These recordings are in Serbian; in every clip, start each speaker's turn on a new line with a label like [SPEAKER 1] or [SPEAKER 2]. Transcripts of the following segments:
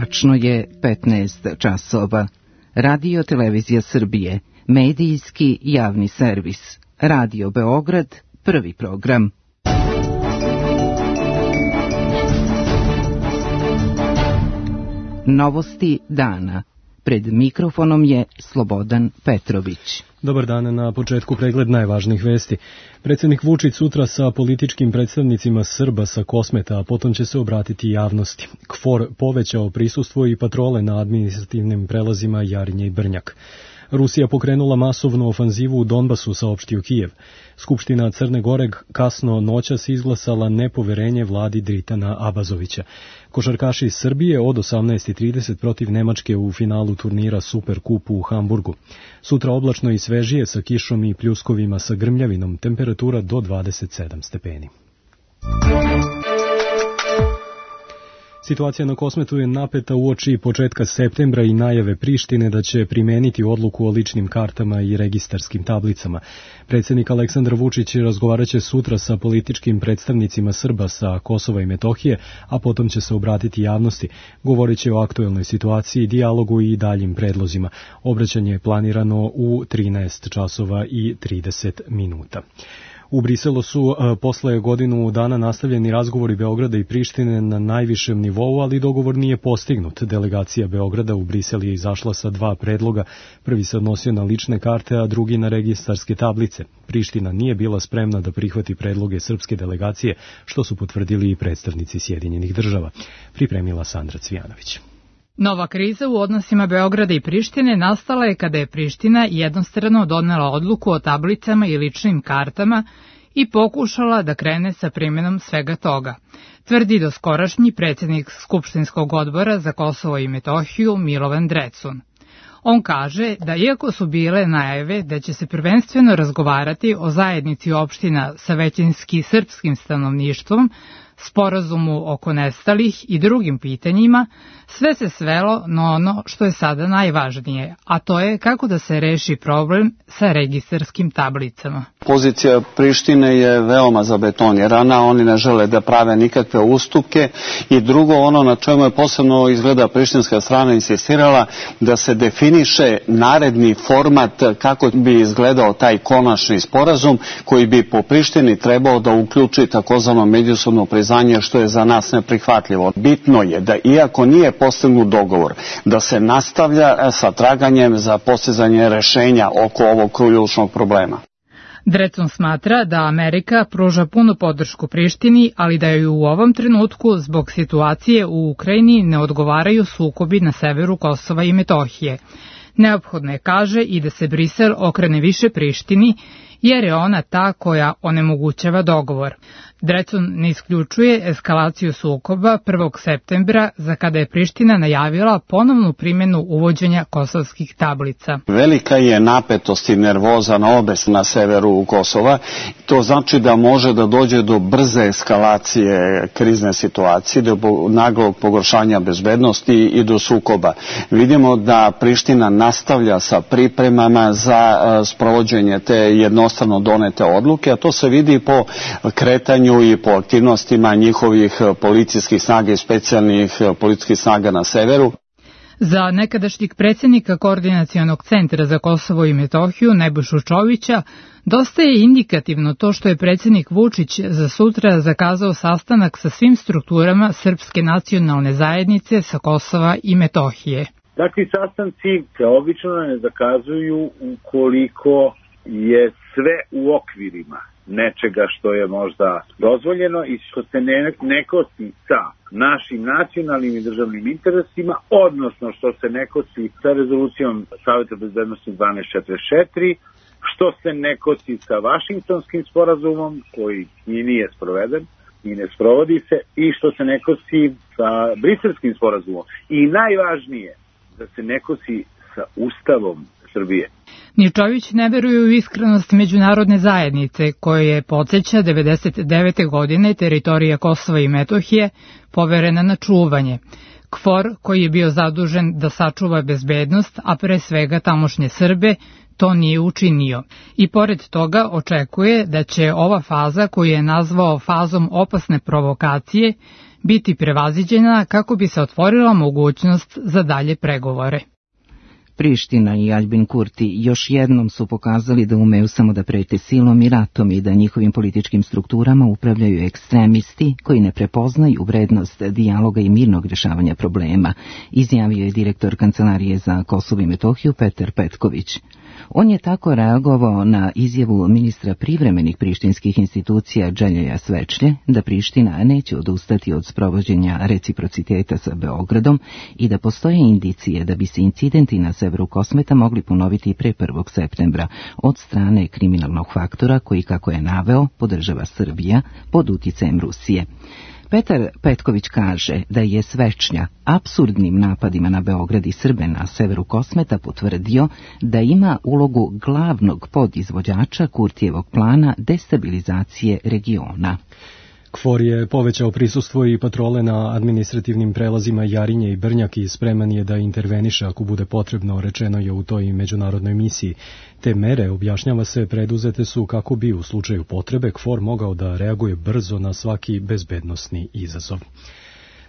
[SPEAKER 1] Tačno je 15 časova. Radio Televizija Srbije, medijski javni servis. Radio Beograd, prvi program. Novosti dana. Pred mikrofonom je Slobodan Petrović.
[SPEAKER 2] Dobar dan, na početku pregled najvažnijih vesti. Predsjednik Vučić sutra sa političkim predstavnicima Srba sa Kosmeta, a potom će se obratiti javnosti. KFOR povećao prisustvo i patrole na administrativnim prelazima Jarinje i Brnjak. Rusija pokrenula masovnu ofanzivu u Donbasu, saopštio Kijev. Skupština Crne Gore kasno noćas izglasala nepoverenje vladi Dritana Abazovića. Košarkaši iz Srbije od 18:30 protiv Nemačke u finalu turnira Superkupu u Hamburgu. Sutra oblačno i svežije sa kišom i pljuskovima sa grmljavinom, temperatura do 27 stepeni. Situacija na Kosmetu je napeta uoči početka septembra i najave Prištine da će primeniti odluku o ličnim kartama i registarskim tablicama. Predsjednik Aleksandar Vučić razgovarat će sutra sa političkim predstavnicima Srba sa Kosova i Metohije, a potom će se obratiti javnosti. Govorit će o aktuelnoj situaciji, dijalogu i daljim predlozima. Obraćanje je planirano u 13 časova i 30 minuta. U Briselu su posle godinu dana nastavljeni razgovori Beograda i Prištine na najvišem nivou, ali dogovor nije postignut. Delegacija Beograda u Brisel je izašla sa dva predloga. Prvi se odnosio na lične karte, a drugi na registarske tablice. Priština nije bila spremna da prihvati predloge srpske delegacije, što su potvrdili i predstavnici Sjedinjenih država. Pripremila Sandra Cvijanović.
[SPEAKER 3] Nova kriza u odnosima Beograda i Prištine nastala je kada je Priština jednostrano donela odluku o tablicama i ličnim kartama i pokušala da krene sa primjenom svega toga, tvrdi doskorašnji predsjednik Skupštinskog odbora za Kosovo i Metohiju Milovan Drecun. On kaže da iako su bile najave da će se prvenstveno razgovarati o zajednici opština sa većinski srpskim stanovništvom, sporazumu oko nestalih i drugim pitanjima, sve se svelo na ono što je sada najvažnije, a to je kako da se reši problem sa registarskim tablicama.
[SPEAKER 4] Pozicija Prištine je veoma zabetonirana, oni ne žele da prave nikakve ustupke i drugo, ono na čemu je posebno izgleda prištinska strana insistirala, da se definiše naredni format kako bi izgledao taj konačni sporazum koji bi po Prištini trebao da uključi takozvano međusobno priznanje, što je za nas neprihvatljivo. Bitno je da iako nije postignut dogovor, da se nastavlja sa traganjem za postizanje rešenja oko ovog ključnog problema.
[SPEAKER 3] Drecun smatra da Amerika pruža punu podršku Prištini, ali da joj u ovom trenutku zbog situacije u Ukrajini ne odgovaraju sukobi na severu Kosova i Metohije. Neophodno je, kaže, i da se Brisel okrene više Prištini, jer je ona ta koja onemogućava dogovor. Drecun ne isključuje eskalaciju sukoba 1. septembra, za kada je Priština najavila ponovnu primjenu uvođenja kosovskih tablica.
[SPEAKER 4] Velika je napetost i nervoza na severu Kosova. To znači da može da dođe do brze eskalacije krizne situacije, do naglog pogoršanja bezbednosti i do sukoba. Vidimo da Priština nastavlja sa pripremama za sprovođenje te jednostrano donete odluke, a to se vidi po kretanju i po aktivnostima njihovih policijskih snaga i specijalnih policijskih snaga na severu.
[SPEAKER 3] Za nekadašnjeg predsjednika Koordinacionog centra za Kosovo i Metohiju Nebojšu Čovića dosta je indikativno to što je predsjednik Vučić za sutra zakazao sastanak sa svim strukturama Srpske nacionalne zajednice sa Kosova i Metohije.
[SPEAKER 5] Takvi sastanci se obično ne zakazuju ukoliko je sve u okvirima nečega što je možda dozvoljeno i što se ne kosi sa našim nacionalnim i državnim interesima, odnosno što se ne kosi sa rezolucijom Saveta bezbednosti 1244, što se ne kosi sa Vašingtonskim sporazumom koji i nije sproveden i ne sprovodi se, i što se ne kosi sa Briselskim sporazumom. I najvažnije, da se ne kosi sa Ustavom Srbije.
[SPEAKER 3] Ničović ne veruje u iskrenost međunarodne zajednice, koje je, podsjeća, 1999. godine teritorija Kosova i Metohije poverena na čuvanje. KFOR, koji je bio zadužen da sačuva bezbednost, a pre svega tamošnje Srbe, to nije učinio. I pored toga očekuje da će ova faza, koju je nazvao fazom opasne provokacije, biti prevaziđena kako bi se otvorila mogućnost za dalje pregovore.
[SPEAKER 1] Priština i Aljbin Kurti još jednom su pokazali da umeju samo da prete silom i ratom i da njihovim političkim strukturama upravljaju ekstremisti koji ne prepoznaju vrednost dijaloga i mirnog rješavanja problema, izjavio je direktor Kancelarije za Kosovo i Metohiju Petar Petković. On je tako reagovao na izjavu ministra privremenih prištinskih institucija Đeljeja Svečlje da Priština neće odustati od sprovođenja reciprociteta sa Beogradom i da postoje indicije da bi se incidenti na severu Kosmeta mogli ponoviti pre 1. septembra od strane kriminalnog faktora koji, kako je naveo, podržava Srbija pod uticajem Rusije. Petar Petković kaže da je Svečlja apsurdnim napadima na Beograd i Srbe na severu Kosmeta potvrdio da ima ulogu glavnog podizvođača Kurtijevog plana destabilizacije regiona.
[SPEAKER 2] KFOR je povećao prisustvo i patrole na administrativnim prelazima Jarinje i Brnjak i spreman je da interveniše ako bude potrebno, rečeno je u toj međunarodnoj misiji. Te mere, objašnjava se, preduzete su kako bi u slučaju potrebe KFOR mogao da reaguje brzo na svaki bezbednosni izazov.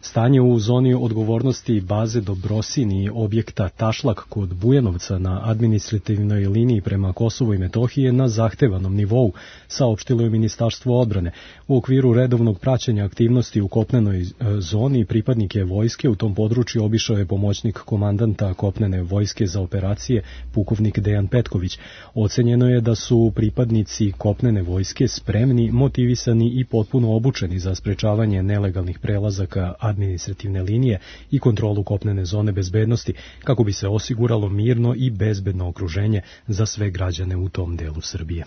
[SPEAKER 2] Stanje u zoni odgovornosti baze Dobrosin i objekta Tašlak kod Bujanovca na administrativnoj liniji prema Kosovu i Metohiji je na zahtevanom nivou, saopštilo je Ministarstvo odbrane. U okviru redovnog praćenja aktivnosti u kopnenoj zoni pripadnike vojske u tom području obišao je pomoćnik komandanta kopnene vojske za operacije, pukovnik Dejan Petković. Ocenjeno je da su pripadnici kopnene vojske spremni, motivisani i potpuno obučeni za sprečavanje nelegalnih prelazaka administrativne linije i kontrolu kopnene zone bezbednosti, kako bi se osiguralo mirno i bezbedno okruženje za sve građane u tom delu Srbije.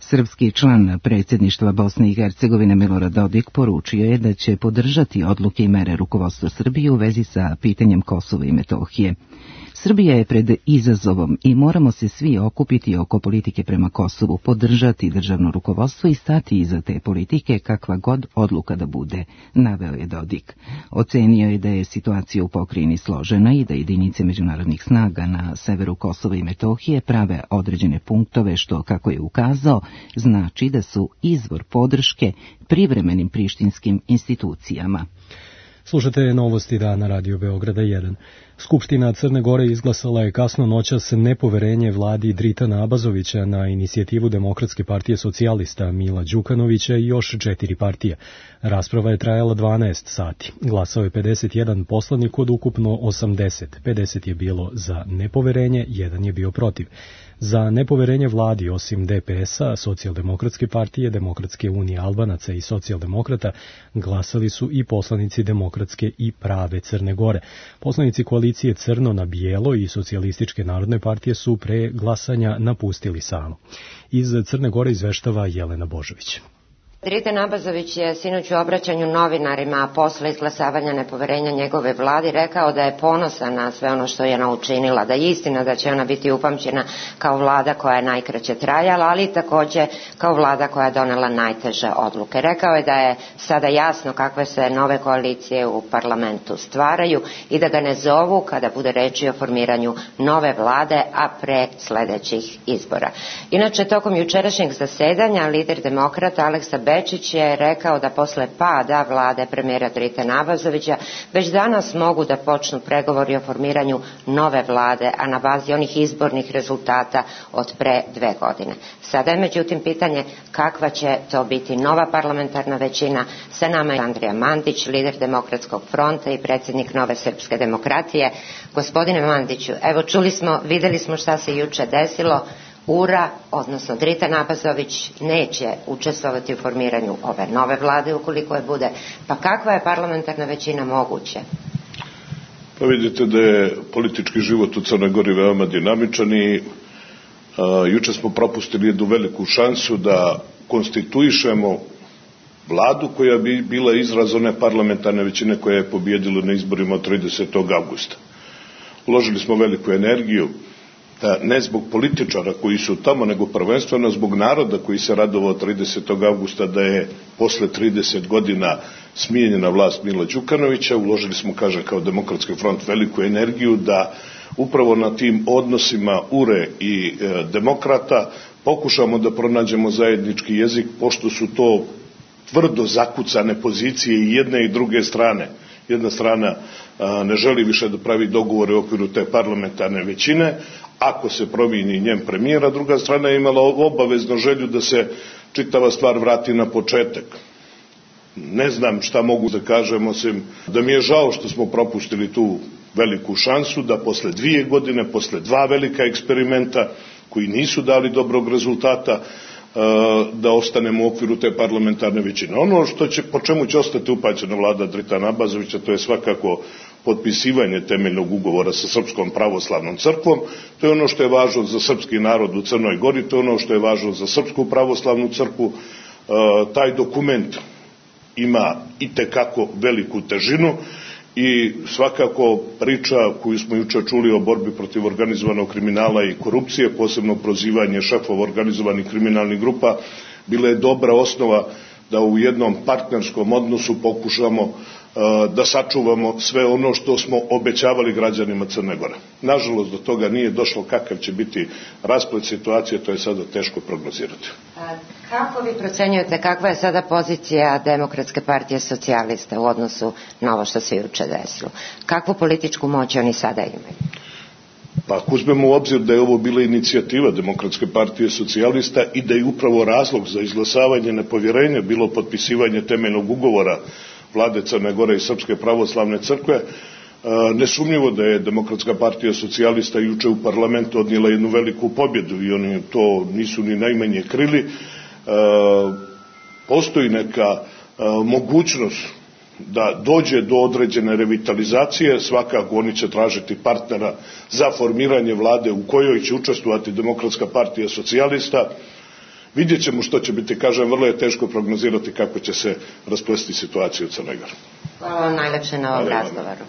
[SPEAKER 1] Srpski član predsjedništva Bosne i Hercegovine Milorad Dodik poručio je da će podržati odluke i mere rukovodstva Srbije u vezi sa pitanjem Kosova i Metohije. Srbija je pred izazovom i moramo se svi okupiti oko politike prema Kosovu, podržati državno rukovodstvo i stati iza te politike kakva god odluka da bude, naveo je Dodik. Ocenio je da je situacija u pokrajini složena i da jedinice međunarodnih snaga na severu Kosova i Metohije prave određene punktove što, kako je ukazao, znači da su izvor podrške privremenim prištinskim institucijama.
[SPEAKER 2] Slušate novosti dana Radio Beograda 1. Skupština Crne Gore izglasala je kasno noćas nepoverenje vladi Dritana Abazovića na inicijativu Demokratske partije socijalista Mila Đukanovića i još 4 partije. Rasprava je trajala 12 sati. Glasao je 51 poslanik od ukupno 80. 50 je bilo za nepoverenje, 1 je bio protiv. Za nepoverenje vladi, osim DPS-a, Socijaldemokratske partije, Demokratske unije Albanaca i socijaldemokrata, glasali su i poslanici Demokratske i Prave Crne Gore. Poslanici koalicije Crno na bijelo i Socijalističke narodne partije su pre glasanja napustili salu. Iz Crne Gore izveštava Jelena Božović.
[SPEAKER 6] Dritan Abazović je sinoć u obraćanju novinarima, a posle izglasavanja nepoverenja njegove vladi, rekao da je ponosan na sve ono što je ona učinila, da je istina da će ona biti upamćena kao vlada koja je najkraće trajala, ali takođe kao vlada koja je donela najteže odluke. Rekao je da je sada jasno kakve se nove koalicije u parlamentu stvaraju i da ga ne zovu kada bude reči o formiranju nove vlade, a pre sledećih izbora. Inače, tokom jučerašnjeg zasedanja lider demokrata Aleksa Bečić je rekao da posle pada vlade premijera Dritana Abazovića već danas mogu da počnu pregovori o formiranju nove vlade, a na bazi onih izbornih rezultata od pre 2 godine. Sada je međutim pitanje kakva će to biti nova parlamentarna većina. Sa nama je Andrija Mandić, lider Demokratskog fronta i predsjednik Nove srpske demokratije. Gospodine Mandiću, evo videli smo šta se juče desilo. URA, odnosno Dritan Abazović, neće učestvovati u formiranju ove nove vlade ukoliko je bude. Pa kakva je parlamentarna većina moguće?
[SPEAKER 7] Pa vidite da je politički život u Crnoj Gori veoma dinamičan i juče smo propustili jednu veliku šansu da konstituišemo vladu koja bi bila izraz one parlamentarne većine koja je pobjedila na izborima od 30. augusta. Uložili smo veliku energiju, ne zbog političara koji su tamo, nego prvenstveno zbog naroda koji se radovao 30. augusta da je posle 30 godina smijenjena vlast Mila Đukanovića. Uložili smo, kažem, kao Demokratski front veliku energiju da upravo na tim odnosima URE i demokrata pokušamo da pronađemo zajednički jezik, pošto su to tvrdo zakucane pozicije i jedne i druge strane. Jedna strana ne želi više da pravi dogovore u okviru te parlamentarne većine, ako se promijeni njen premijer, a druga strana je imala obavezno želju da se čitava stvar vrati na početak. Ne znam šta mogu da kažem, osim da mi je žao što smo propustili tu veliku šansu da posle 2 godine, posle 2 velika eksperimenta koji nisu dali dobrog rezultata, da ostanemo u okviru te parlamentarne većine. Ono po čemu će ostati upaćena vlada Dritana Abazovića, to je svakako potpisivanje temeljnog ugovora sa Srpskom pravoslavnom crkvom. To je ono što je važno za srpski narod u Crnoj Gori, to je ono što je važno za Srpsku pravoslavnu crkvu. Taj dokument ima itekako veliku težinu i svakako priča koju smo juče čuli o borbi protiv organizovanog kriminala i korupcije, posebno prozivanje šefova organizovanih kriminalnih grupa, bila je dobra osnova da u jednom partnerskom odnosu pokušamo da sačuvamo sve ono što smo obećavali građanima Crne Gore. Nažalost, do toga nije došlo. Kakav će biti rasplet situacije, to je sada teško prognozirati.
[SPEAKER 6] Kako vi procenjujete kakva je sada pozicija Demokratske partije socijalista u odnosu na ovo što se juče desilo? Kakvu političku moć oni sada imaju?
[SPEAKER 7] Pa ako uzmemo u obzir da je ovo bila inicijativa Demokratske partije socijalista i da je upravo razlog za izglasavanje nepovjerenja bilo potpisivanje temeljnog ugovora vlade Crne Gore i Srpske pravoslavne crkve, nesumnjivo da je Demokratska partija socijalista juče u parlamentu odnijela jednu veliku pobjedu i oni to nisu ni najmanje krili. Postoji neka mogućnost da dođe do određene revitalizacije, svakako oni će tražiti partnera za formiranje vlade u kojoj će učestvovati Demokratska partija socijalista. Vidjet ćemo što će biti, kažem, vrlo je teško prognozirati kako će se rasplesti situacija u Crnoj Gori.
[SPEAKER 6] Hvala vam najlepše na ovom razgovoru.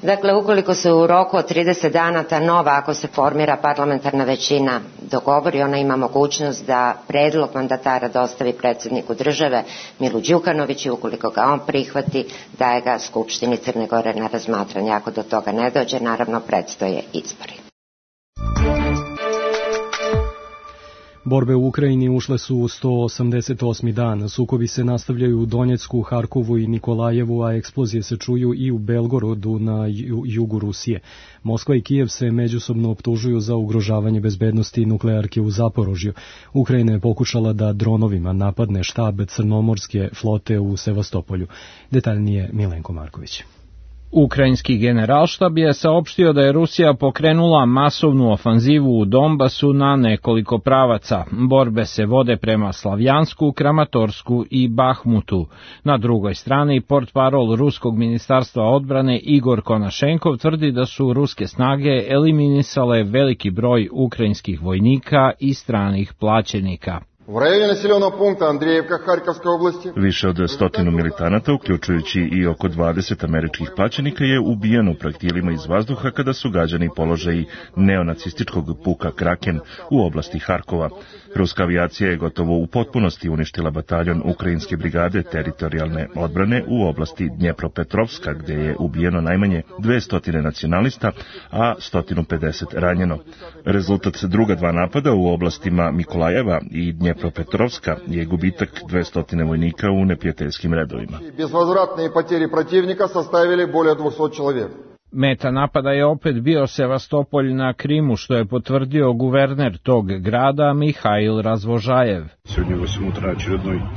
[SPEAKER 6] Dakle, ukoliko se u roku od 30 dana ta nova, ako se formira parlamentarna većina, dogovori, ona ima mogućnost da predlog mandatara dostavi predsjedniku države Milu Đukanoviću, ukoliko ga on prihvati, daje ga Skupštini Crne Gore na razmatranje. Ako do toga ne dođe, naravno predstoje izbori.
[SPEAKER 2] Borbe u Ukrajini ušle su u 188. dan. Sukobi se nastavljaju u Donjecku, Harkovu i Nikolajevu, a eksplozije se čuju i u Belgorodu na jugu Rusije. Moskva i Kijev se međusobno optužuju za ugrožavanje bezbednosti nuklearke u Zaporožju. Ukrajina je pokušala da dronovima napadne štab Crnomorske flote u Sevastopolju. Detaljnije Milenko Marković.
[SPEAKER 8] Ukrajinski generalštab je saopštio da je Rusija pokrenula masovnu ofanzivu u Donbasu na nekoliko pravaca. Borbe se vode prema Slavjansku, Kramatorsku i Bahmutu. Na drugoj strani, portparol Ruskog ministarstva odbrane Igor Konašenkov tvrdi da su ruske snage eliminisale veliki broj ukrajinskih vojnika i stranih plaćenika.
[SPEAKER 9] Više od 100 militanata, uključujući i oko 20 američkih plaćenika, je ubijeno projektilima iz vazduha kada su gađani položaji neonacističkog puka Kraken u oblasti Harkova. Ruska avijacija je gotovo u potpunosti uništila bataljon Ukrajinske brigade teritorijalne odbrane u oblasti Dnjepropetrovska, gdje je ubijeno najmanje 200 nacionalista, a 150 ranjeno. Rezultat druga 2 napada u oblastima Mikolajeva i Dnjepropetrovska je gubitak 200 vojnika u neprijateljskim redovima.
[SPEAKER 10] Bezvozvratne poteri protivnika sastavili bolje 200 čovjeka.
[SPEAKER 8] Meta napada je opet bio Sevastopolj na Krimu, što je potvrdio guverner tog grada Mihail Razvožajev.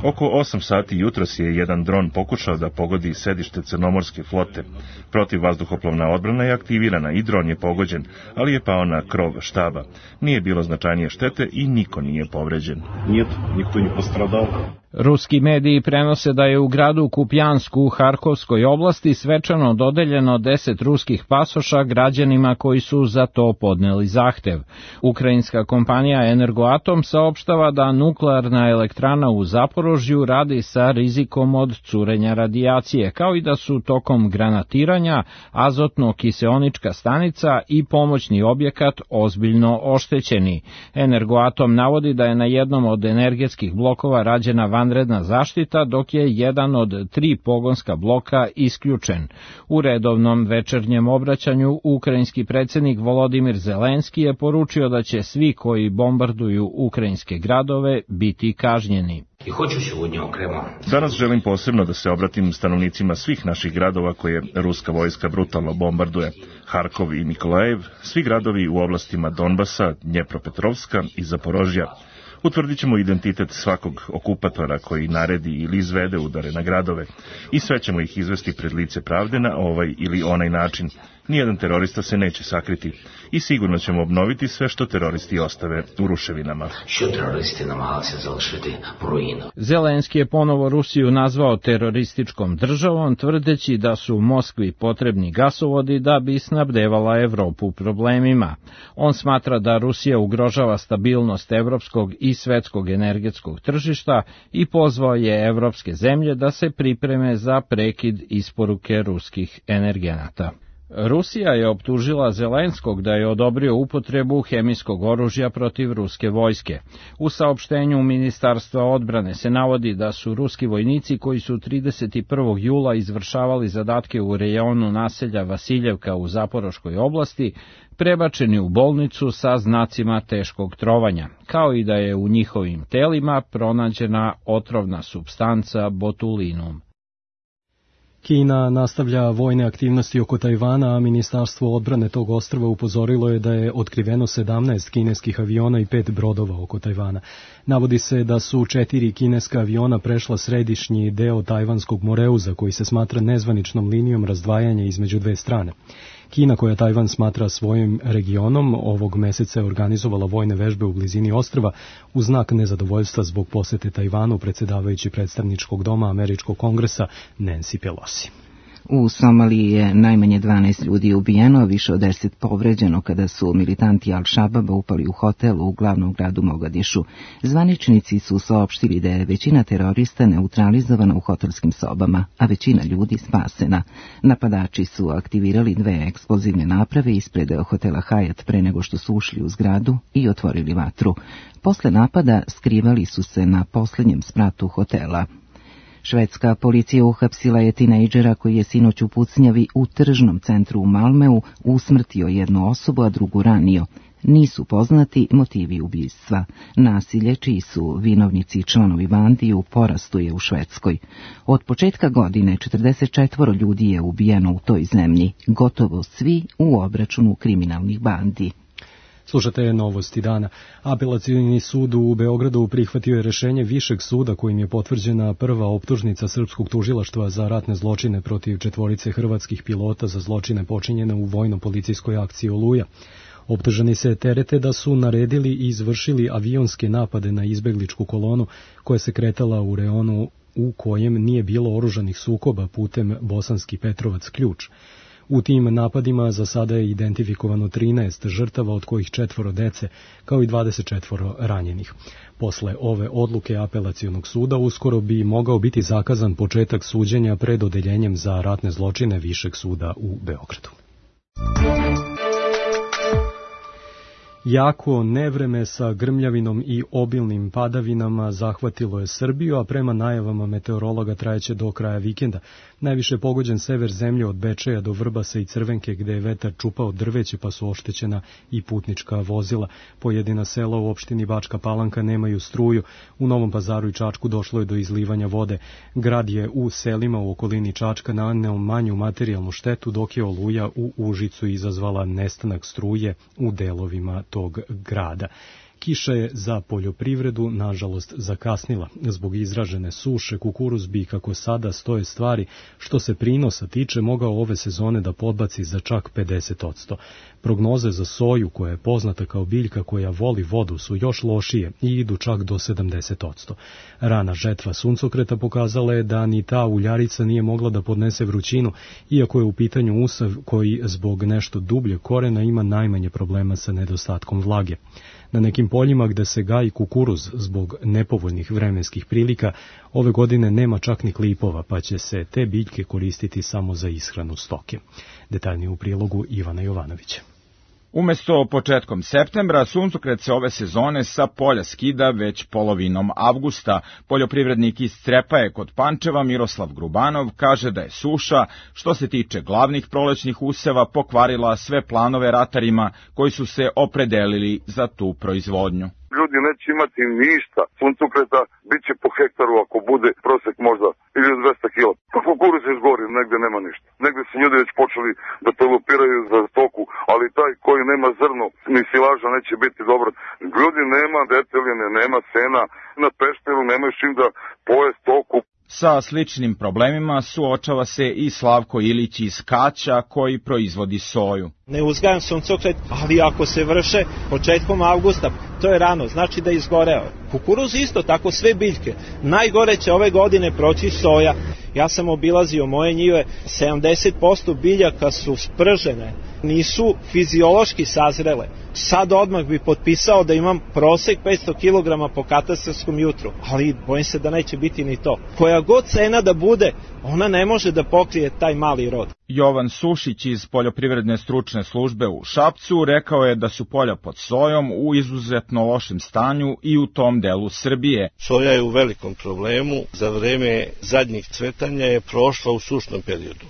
[SPEAKER 9] Oko 8 sati jutros je jedan dron pokušao da pogodi sedište Crnomorske flote. Protivvazduhoplovna odbrana je aktivirana i dron je pogođen, ali je pao na krov štaba. Nije bilo značajnije štete i niko nije povređen.
[SPEAKER 7] Niko nije postradao.
[SPEAKER 8] Ruski mediji prenose da je u gradu Kupjansku u Harkovskoj oblasti svečano dodeljeno 10 ruskih pasoša građanima koji su za to podneli zahtev. Ukrajinska kompanija Energoatom saopštava da nuklearna elektrana u Zaporožju radi sa rizikom od curenja radijacije, kao i da su tokom granatiranja azotno-kiseonička stanica i pomoćni objekat ozbiljno oštećeni. Energoatom navodi da je na jednom od energetskih blokova rađena vanredna zaštita, dok je jedan od 3 pogonska bloka isključen. U redovnom večernjem obraćanju ukrajinski predsjednik Volodimir Zelenski je poručio da će svi koji bombarduju ukrajinske gradove biti kažnjeni.
[SPEAKER 9] Danas želim posebno da se obratim stanovnicima svih naših gradova koje ruska vojska brutalno bombarduje. Harkov i Nikolajev, svi gradovi u oblastima Donbasa, Dnjepropetrovska i Zaporožja. Utvrdit ćemo identitet svakog okupatora koji naredi ili izvede udare na gradove i sve ćemo ih izvesti pred lice pravde na ovaj ili onaj način. Nijedan terorista se neće sakriti i sigurno ćemo obnoviti sve što teroristi ostave u ruševinama.
[SPEAKER 8] Zelenski je ponovo Rusiju nazvao terorističkom državom, tvrdeći da su Moskvi potrebni gasovodi da bi snabdevala Evropu problemima. On smatra da Rusija ugrožava stabilnost evropskog i svetskog energetskog tržišta i pozvao je evropske zemlje da se pripreme za prekid isporuke ruskih energenata. Rusija je optužila Zelenskog da je odobrio upotrebu hemijskog oružja protiv ruske vojske. U saopštenju Ministarstva odbrane se navodi da su ruski vojnici koji su 31. jula izvršavali zadatke u rejonu naselja Vasiljevka u Zaporoškoj oblasti prebačeni u bolnicu sa znacima teškog trovanja, kao i da je u njihovim telima pronađena otrovna supstanca botulinum.
[SPEAKER 2] Kina nastavlja vojne aktivnosti oko Tajvana, a Ministarstvo odbrane tog ostrva upozorilo je da je otkriveno 17 kineskih aviona i 5 brodova oko Tajvana. Navodi se da su 4 kineska aviona prešla središnji deo tajvanskog Moreuza, koji se smatra nezvaničnom linijom razdvajanja između dve strane. Kina, koja Tajvan smatra svojim regionom, ovog meseca je organizovala vojne vežbe u blizini ostrva u znak nezadovoljstva zbog posete Tajvanu predsedavajući predstavničkog doma Američkog kongresa Nancy Pelosi.
[SPEAKER 1] U Somaliji je najmanje 12 ljudi ubijeno, više od 10 povređeno kada su militanti Al-Shababa upali u hotel u glavnom gradu Mogadišu. Zvaničnici su saopštili da je većina terorista neutralizovana u hotelskim sobama, a većina ljudi spasena. Napadači su aktivirali 2 eksplozivne naprave ispred hotela Hyatt pre nego što su ušli u zgradu i otvorili vatru. Posle napada skrivali su se na posljednjem spratu hotela. Švedska policija uhapsila je tinejdžera koji je sinoć u pucnjavi u tržnom centru u Malmeu usmrtio jednu osobu, a drugu ranio. Nisu poznati motivi ubistva. Nasilje, čiji su vinovnici i članovi bandi, u porastu je u Švedskoj. Od početka godine 44 ljudi je ubijeno u toj zemlji, gotovo svi u obračunu kriminalnih bandi.
[SPEAKER 2] Slušate novosti dana. Apelacioni sud u Beogradu prihvatio je rešenje Višeg suda kojim je potvrđena prva optužnica srpskog tužilaštva za ratne zločine protiv 4 hrvatskih pilota za zločine počinjene u vojno-policijskoj akciji Oluja. Optuženi se terete da su naredili i izvršili avionske napade na izbegličku kolonu koja se kretala u reonu u kojem nije bilo oružanih sukoba putem Bosanski Petrovac-Ključ. U tim napadima za sada je identifikovano 13 žrtava, od kojih 4 dece, kao i 24 ranjenih. Posle ove odluke apelacionog suda uskoro bi mogao biti zakazan početak suđenja pred odeljenjem za ratne zločine Višeg suda u Beogradu. Jako nevreme sa grmljavinom i obilnim padavinama zahvatilo je Srbiju, a prema najavama meteorologa trajeće do kraja vikenda. Najviše pogođen sever zemlje od Bečeja do Vrbasa i Crvenke, gde je vetar čupao drveće pa su oštećena i putnička vozila. Pojedina sela u opštini Bačka Palanka nemaju struju. U Novom Pazaru i Čačku došlo je do izlivanja vode. Grad je u selima u okolini Čačka naneo manju materijalnu štetu, dok je oluja u Užicu izazvala nestanak struje u delovima tog grada. Kiša je za poljoprivredu, nažalost, zakasnila. Zbog izražene suše, kukuruz bi, kako sada stoje stvari, što se prinosa tiče, mogao ove sezone da podbaci za čak 50%. Prognoze za soju, koja je poznata kao biljka koja voli vodu, su još lošije i idu čak do 70%. Rana žetva suncokreta pokazala je da ni ta uljarica nije mogla da podnese vrućinu, iako je u pitanju usav koji zbog nešto dublje korena ima najmanje problema sa nedostatkom vlage. Na nekim poljima gde se gaji kukuruz zbog nepovoljnih vremenskih prilika, ove godine nema čak ni klipova, pa će se te biljke koristiti samo za ishranu stoke. Detaljnije u prilogu Ivana Jovanovića.
[SPEAKER 11] Umesto početkom septembra, suncokret se ove sezone sa polja skida već polovinom avgusta. Poljoprivrednik iz Crepaje kod Pančeva Miroslav Grubanov kaže da je suša, što se tiče glavnih prolećnih useva, pokvarila sve planove ratarima koji su se opredelili za tu proizvodnju.
[SPEAKER 12] Ljudi neće imati ništa. Suncokreta bit će po hektaru ako bude prosek možda 1200 kila. Kukuruz je izgori, negde nema ništa. Negde su ljudi već počeli da pelopiraju za stoku, ali taj koji nema zrno ni silaža neće biti dobro. Ljudi nema deteljene, nema sena, na Pešteru nemaju čim da poje stoku.
[SPEAKER 11] Sa sličnim problemima suočava se i Slavko Ilić iz Kaća koji proizvodi soju.
[SPEAKER 13] Ne uzgajam suncokret, ali ako se vrše početkom avgusta, to je rano, znači da je izgoreo. Kukuruz isto, tako sve biljke. Najgore će ove godine proći soja. Ja sam obilazio moje njive, 70% biljaka su spržene, nisu fiziološki sazrele. Sad odmah bi potpisao da imam prosek 500 kg po katastarskom jutru, ali bojim se da neće biti ni to. Koja god cena da bude, ona ne može da pokrije taj mali rod.
[SPEAKER 11] Jovan Sušić iz Poljoprivredne stručne službe u Šapcu rekao je da su polja pod sojom u izuzetno lošem stanju i u tom delu Srbije.
[SPEAKER 14] Soja je u velikom problemu, za vreme zadnjih cvetanja je prošla u sušnom periodu.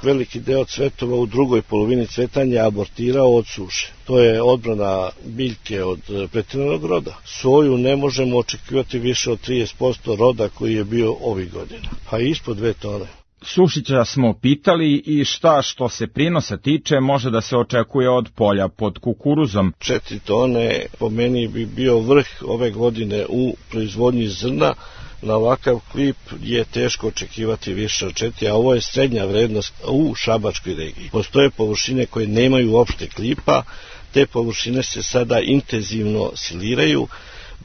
[SPEAKER 14] Veliki deo cvetova u drugoj polovini cvetanja je abortirao od suše. To je odbrana biljke od pretjeranog roda. Soju ne možemo očekivati više od 30% roda koji je bio ovih godina, pa ispod 2 tone.
[SPEAKER 11] Sušića smo pitali i šta što se prinosa tiče može da se očekuje od polja pod kukuruzom.
[SPEAKER 14] 4 tone po meni bi bio vrh ove godine u proizvodnji zrna. Na ovakav klip je teško očekivati više od 4, a ovo je srednja vrednost u Šabačkoj regiji. Postoje površine koje nemaju uopšte klipa, te površine se sada intenzivno siliraju,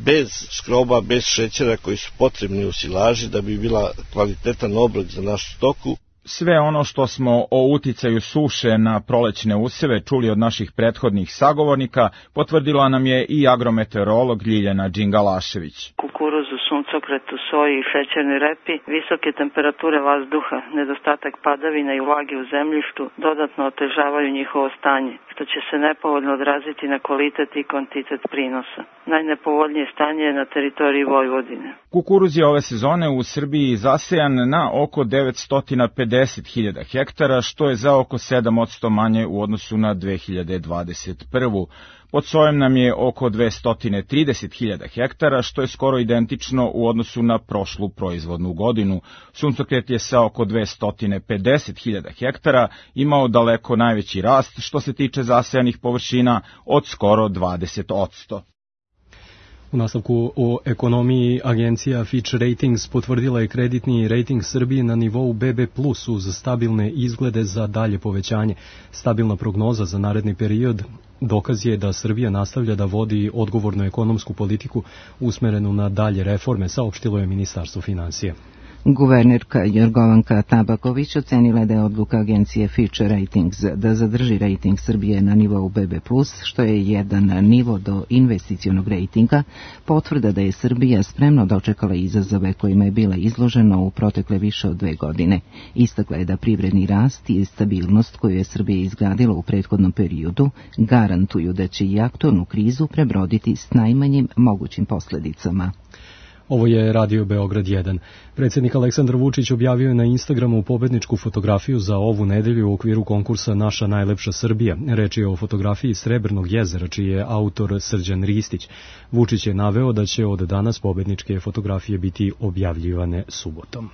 [SPEAKER 14] bez skroba, bez šećera koji su potrebni u silaži da bi bila kvalitetan obrok za našu stoku.
[SPEAKER 11] Sve ono što smo o uticaju suše na prolećne useve čuli od naših prethodnih sagovornika, potvrdila nam je i agrometeorolog Ljiljana Đingalašević.
[SPEAKER 15] Kukuruzu, suncokretu, soji i šećernoj repi, visoke temperature vazduha, nedostatak padavina i vlage u zemljištu dodatno otežavaju njihovo stanje, što će se nepovoljno odraziti na kvalitet i kvantitet prinosa. Najnepovoljnije stanje je na teritoriji Vojvodine.
[SPEAKER 11] Kukuruz je ove sezone u Srbiji zasejan na oko 950.000 hektara, što je za oko 7% manje u odnosu na 2021. Pod sojem nam je oko 230.000 hektara, što je skoro identično u odnosu na prošlu proizvodnu godinu. Suncokret je sa oko 250.000 hektara imao daleko najveći rast što se tiče zasejanih površina od skoro 20%.
[SPEAKER 2] U nastavku o ekonomiji, agencija Fitch Ratings potvrdila je kreditni rating Srbije na nivou BB+, uz stabilne izglede za dalje povećanje. Stabilna prognoza za naredni period dokaz je da Srbija nastavlja da vodi odgovornu ekonomsku politiku usmerenu na dalje reforme, saopštilo je Ministarstvo finansija.
[SPEAKER 1] Guvernerka Jorgovanka Tabaković ocenila je da je odluka agencije Fitch Ratings da zadrži rating Srbije na nivou BB+, što je jedan nivo do investicionog ratinga, potvrda da je Srbija spremno dočekala izazove kojima je bila izložena u protekle više od 2 godine. Istakla je da privredni rast i stabilnost koju je Srbija izgradila u prethodnom periodu garantuju da će i aktualnu krizu prebroditi s najmanjim mogućim posledicama.
[SPEAKER 2] Ovo je Radio Beograd 1. Predsjednik Aleksandar Vučić objavio je na Instagramu pobedničku fotografiju za ovu nedelju u okviru konkursa Naša najlepša Srbija. Reč je o fotografiji Srebrnog jezera, čiji je autor Srđan Ristić. Vučić je naveo da će od danas pobedničke fotografije biti objavljivane subotom.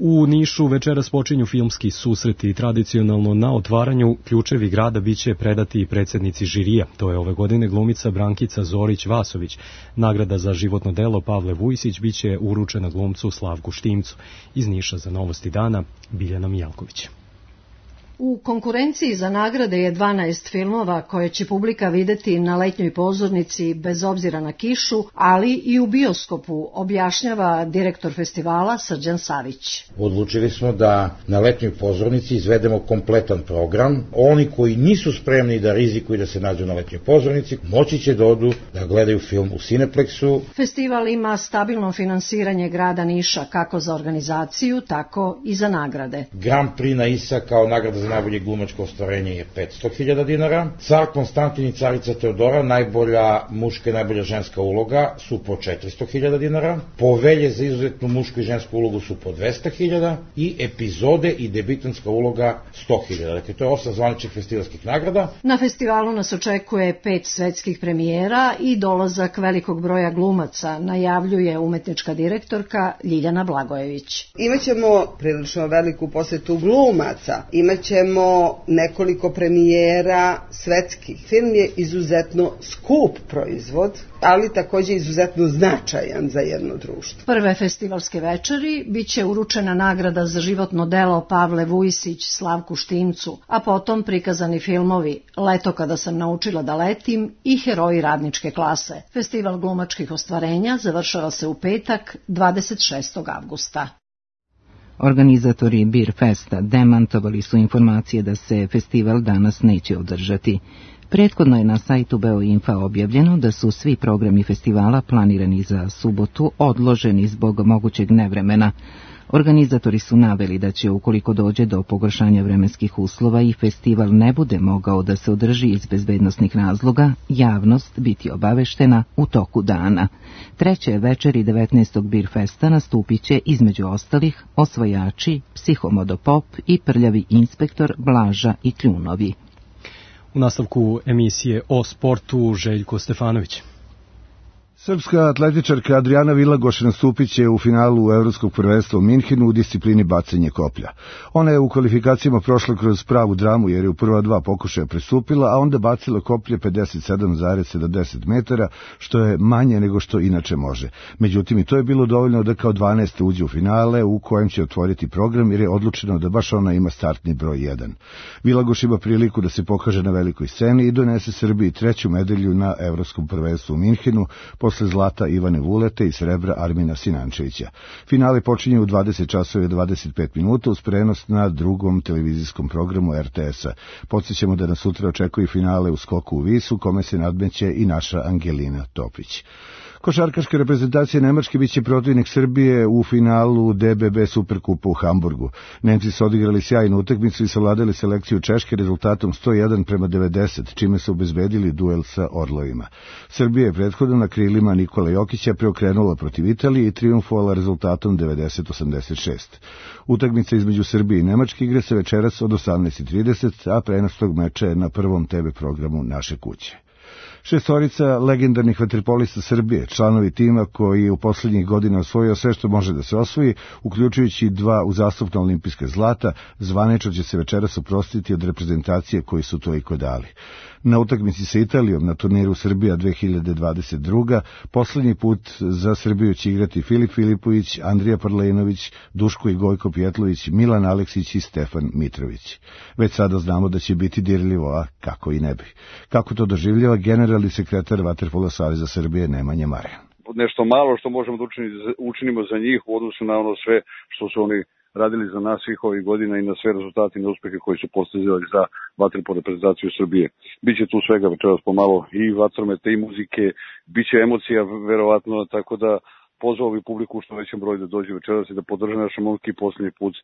[SPEAKER 2] U Nišu večeras počinju filmski susreti i tradicionalno na otvaranju ključevi grada biće predati predsjednici žirija. To je ove godine glumica Brankica Zorić-Vasović. Nagrada za životno delo Pavle Vujsić biće uručena glumcu Slavku Štimcu. Iz Niša za Novosti dana Biljana Mijalković.
[SPEAKER 16] U konkurenciji za nagrade je 12 filmova koje će publika videti na letnjoj pozornici bez obzira na kišu, ali i u bioskopu, objašnjava direktor festivala Srđan Savić.
[SPEAKER 17] Odlučili smo da na letnjoj pozornici izvedemo kompletan program. Oni koji nisu spremni da rizikuju da se nađu na letnjoj pozornici, moći će da odu da gledaju film u Cineplexu.
[SPEAKER 16] Festival ima stabilno finansiranje grada Niša kako za organizaciju, tako i za nagrade.
[SPEAKER 17] Grand Prix na ISA kao nagrada za za najbolje glumačko ostvarenje je 500.000 dinara. Car Konstantin i carica Teodora, najbolja muška i najbolja ženska uloga su po 400.000 dinara. Povelje za izuzetnu mušku i žensku ulogu su po 200.000 i epizode i debitanska uloga 100.000. Dakle, to je 8 zvaničnih festivalskih nagrada.
[SPEAKER 16] Na festivalu nas očekuje 5 svetskih premijera i dolazak velikog broja glumaca, najavljuje umetnička direktorka Ljiljana Blagojević.
[SPEAKER 18] Imaćemo prilično veliku posetu glumaca, imaćemo nekoliko premijera svetskih. Film je izuzetno skup proizvod, ali takođe izuzetno značajan za jedno društvo.
[SPEAKER 16] Prve festivalske večeri biće uručena nagrada za životno delo Pavle Vujsić Slavku Štimcu, a potom prikazani filmovi Leto kada sam naučila da letim i Heroji radničke klase. Festival glumačkih ostvarenja završava se u petak 26. avgusta.
[SPEAKER 1] Organizatori Beer Festa demantovali su informacije da se festival danas neće održati. Prethodno je na sajtu Beoinfa objavljeno da su svi programi festivala planirani za subotu odloženi zbog mogućeg nevremena. Organizatori su naveli da će, ukoliko dođe do pogoršanja vremenskih uslova i festival ne bude mogao da se održi iz bezbednosnih razloga, javnost biti obaveštena u toku dana. Treće večeri 19. Beer Festa nastupit će između ostalih Osvajači, Psihomodopop i Prljavi inspektor Blaža i Kljunovi.
[SPEAKER 2] U nastavku emisije o sportu Željko Stefanović.
[SPEAKER 19] Srpska atletičarka Adriana Vilagoš nastupit će u finalu Evropskog prvenstva u Minhenu u disciplini bacanje koplja. Ona je u kvalifikacijama prošla kroz pravu dramu jer je u prva 2 pokušaja prestupila, a onda bacila koplje 57,70 metara, što je manje nego što inače može. Međutim, i to je bilo dovoljno da kao 12. uđe u finale u kojem će otvoriti program jer je odlučeno da baš ona ima startni broj 1. Vilagoš ima priliku da se pokaže na velikoj sceni i donese Srbiji 3. medalju na Evropskom prvenstvu u Minhenu, posle zlata Ivane Vulete i srebra Armina Sinančevića. Finale počinje u 20 časova i 25 minuta uz prenos na drugom televizijskom programu RTS-a. Podsjećamo da nas sutra očekuje finale u skoku u Visu, kome se nadmeće i naša Angelina Topić. Košarkaška reprezentacija Nemačke biće protivnik Srbije u finalu DBB Superkupa u Hamburgu. Nemci su odigrali sjajnu utakmicu i savladali selekciju Češke rezultatom 101:90, čime su obezbedili duel sa Orlovima. Srbija je prethodno na krilima Nikola Jokića preokrenula protiv Italije i triumfovala rezultatom 90:86. Utakmica između Srbije i Nemačke igra se večeras od 18:30, a prenos tog meča je na prvom TV programu Naše kuće. Šestorica legendarnih vaterpolista Srbije, članovi tima koji je u poslednjih godina osvojio sve što može da se osvoji, uključujući 2 uzastopna olimpijska zlata, zvanično će se večeras oprostiti od reprezentacije koji su toliko dali. Na utakmici sa Italijom na turniru Srbija 2022. poslednji put za Srbiju će igrati Filip Filipović, Andrija Parlenović, Duško i Gojko Pjetlović, Milan Aleksić i Stefan Mitrović. Već sada znamo da će biti dirljivo, a kako i ne bi. Kako to doživljava generalni sekretar Vaterpolo saveza Srbije Nemanja Marajan?
[SPEAKER 20] Nešto malo što možemo da učinimo za njih u odnosu na ono sve što su oni radili za nas svih ovih godina i na sve rezultate i uspehe koji su postizali za vaterpolo reprezentaciju Srbije. Biće tu svega večeras pomalo i vatrometa i muzike, biće emocija verovatno, tako da pozvao bi publiku što većem broju da dođe večeras i da podrže naše momke i posljednji put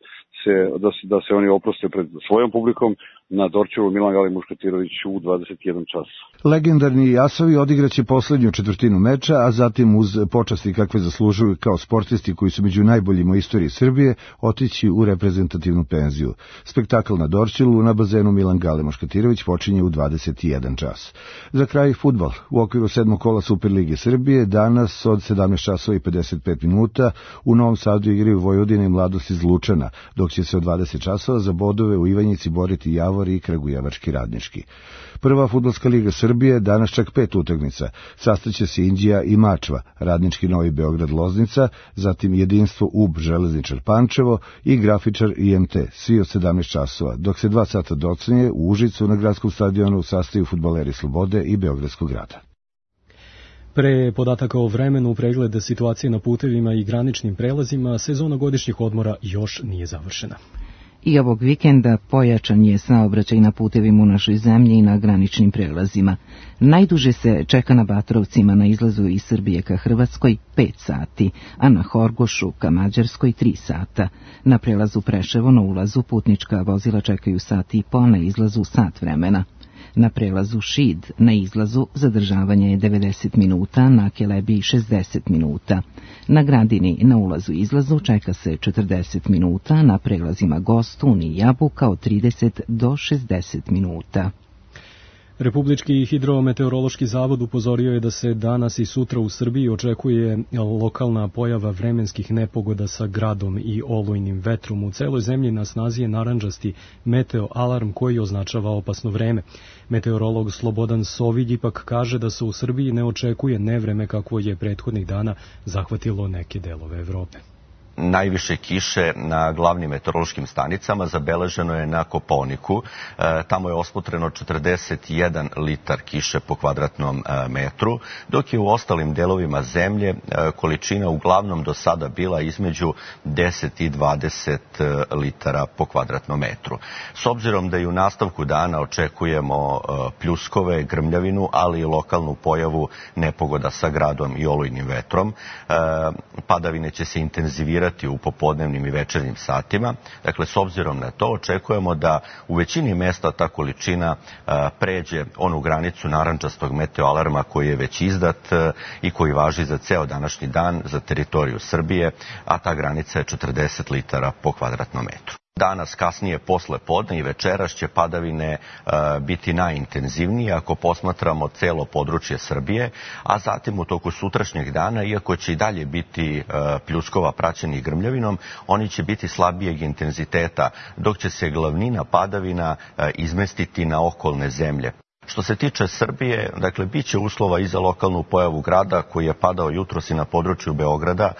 [SPEAKER 20] da se oni oproste pred svojom publikom na Dorćevu Milan Gali Muškatirović u 21 čas.
[SPEAKER 19] Legendarni Jasovi odigraće poslednju četvrtinu meča, a zatim uz počasti kakve zaslužuju kao sportisti koji su među najboljima u istoriji Srbije otići u reprezentativnu penziju. Spektakl na Dorćelu na bazenu Milan Gale Muškatirović počinje u 21 čas. Za kraj fudbal. U okviru 7. kola Superlige Srbije danas od 17 časova i 55 minuta u Novom Sadu igraju Vojvodina i Mladost iz Lučana, dok će se od 20 časova za bodove u Ivanjici boriti Javor i Kragujevački Radnički. Prva fudbalska liga Srbije danas čak 5 utakmica. Sastaće se Inđija i Mačva, Radnički Novi Beograd Loznica, zatim Jedinstvo UB Železničar Pančevo i Grafičar IMT, svi od 17 časova, dok se 2 sata docenje u Užicu na gradskom stadionu sastaju fudbaleri Slobode i Beogradskog grada.
[SPEAKER 2] Pre podataka o vremenu, pregled situacije na putevima i graničnim prelazima, sezona godišnjih odmora još nije završena.
[SPEAKER 1] I ovog vikenda pojačan je saobraćaj na putevima u našoj zemlji i na graničnim prelazima. Najduže se čeka na Batrovcima na izlazu iz Srbije ka Hrvatskoj 5 sati, a na Horgošu ka Mađarskoj 3 sata. Na prelazu Preševo na ulazu putnička vozila čekaju sat i po, na izlazu sat vremena. Na prelazu Šid na izlazu zadržavanje je 90 minuta, na Kelebiji 60 minuta. Na Gradini na ulazu i izlazu čeka se 40 minuta, na prelazima Gostun i Jabuka od 30 do 60 minuta.
[SPEAKER 2] Republički hidrometeorološki zavod upozorio je da se danas i sutra u Srbiji očekuje lokalna pojava vremenskih nepogoda sa gradom i olujnim vetrom. U celoj zemlji na snazi je narandžasti meteo alarm koji označava opasno vreme. Meteorolog Slobodan Sovilj ipak kaže da se u Srbiji ne očekuje nevreme kakvo je prethodnih dana zahvatilo neke delove Evrope.
[SPEAKER 21] Najviše kiše na glavnim meteorološkim stanicama zabeleženo je na Kopaoniku. Tamo je osmotreno 41 litar kiše po kvadratnom metru, dok je u ostalim delovima zemlje količina uglavnom do sada bila između 10 i 20 litara po kvadratnom metru. S obzirom da i u nastavku dana očekujemo pljuskove, grmljavinu, ali i lokalnu pojavu nepogoda sa gradom i olujnim vetrom, padavine će se intenzivirati u popodnevnim i večernjim satima. Dakle, s obzirom na to, očekujemo da u većini mesta ta količina pređe onu granicu narandžastog meteoalarma koji je već izdat i koji važi za ceo današnji dan za teritoriju Srbije, a ta granica je 40 litara po kvadratnom metru. Danas, kasnije posle podne i večeras će padavine biti najintenzivnije ako posmatramo celo područje Srbije, a zatim u toku sutrašnjeg dana, iako će i dalje biti pljuskova praćenih grmljavinom, oni će biti slabijeg intenziteta, dok će se glavnina padavina izmestiti na okolne zemlje. Što se tiče Srbije, dakle, bit će uslova i za lokalnu pojavu grada koji je padao jutros i na području Beograda,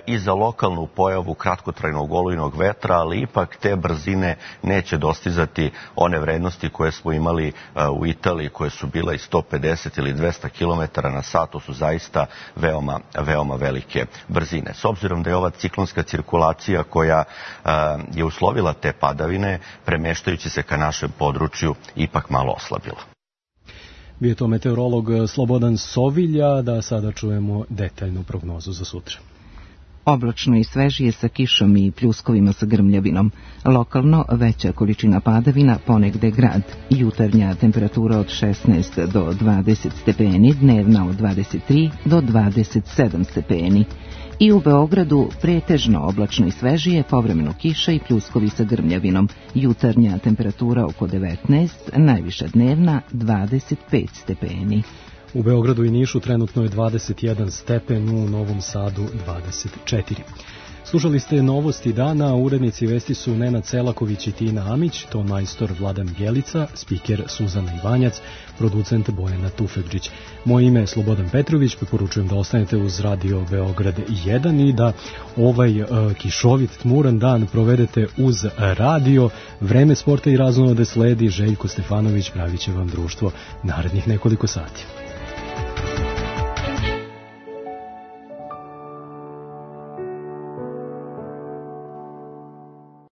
[SPEAKER 21] i za lokalnu pojavu kratkotrajnog olujnog vetra, ali ipak te brzine neće dostizati one vrednosti koje smo imali u Italiji, koje su bile i 150 ili 200 km na sat. To su zaista veoma velike brzine. S obzirom da je ova ciklonska cirkulacija koja je uslovila te padavine, premeštajući se ka našem području, ipak malo oslabila.
[SPEAKER 2] Bio to meteorolog Slobodan Sovilja, da sada čujemo detaljnu prognozu za sutra.
[SPEAKER 1] Oblačno i svežije sa kišom i pljuskovima sa grmljavinom. Lokalno veća količina padavina, ponegde grad. Jutarnja temperatura od 16 do 20 stepeni, dnevna od 23 do 27 stepeni. I u Beogradu pretežno oblačno i svežije, povremeno kiša i pljuskovi sa grmljavinom. Jutarnja temperatura oko 19, najviša dnevna 25 stepeni.
[SPEAKER 2] U Beogradu i Nišu trenutno je 21 stepen, u Novom Sadu 24. Slušali ste novosti dana, urednici vesti su Nenad Selaković i Tina Amić, ton majstor Vladan Bjelica, spiker Suzana Ivanjac, producent Bojana Tufegđić. Moje ime je Slobodan Petrović, preporučujem da ostanete uz Radio Beograd 1 i da ovaj kišovit, tmuran dan provedete uz radio. Vreme sporta i raznolade sledi, Željko Stefanović pravit će vam društvo narednih nekoliko sati.